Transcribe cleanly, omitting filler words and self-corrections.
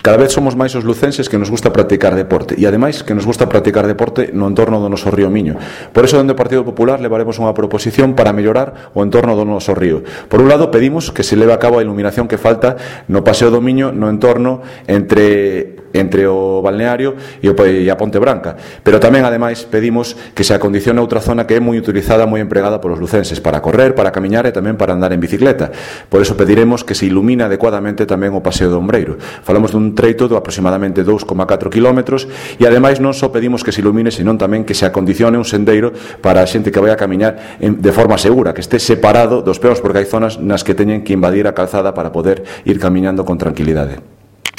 Cada vez somos máis os lucenses que nos gusta practicar deporte, e ademais que nos gusta practicar deporte no entorno do noso río Miño. Por iso, dende o Partido Popular levaremos unha proposición para mellorar o entorno do noso río. Por un lado, pedimos que se leve a cabo a iluminación que falta no Paseo do Miño, no entorno entre o balneario e a Ponte Branca, pero tamén ademais pedimos que se acondicione outra zona que é moi utilizada, moi empregada polos lucenses para correr, para camiñar e tamén para andar en bicicleta. Por eso pediremos que se ilumine adecuadamente tamén o Paseo do Ombreiro. Falamos dun treito de aproximadamente 2,4 km e ademais non só pedimos que se ilumine, senón tamén que se acondicione un sendeiro para a xente que vai a camiñar de forma segura, que este separado dos peóns, porque hai zonas nas que teñen que invadir a calzada para poder ir camiñando con tranquilidade.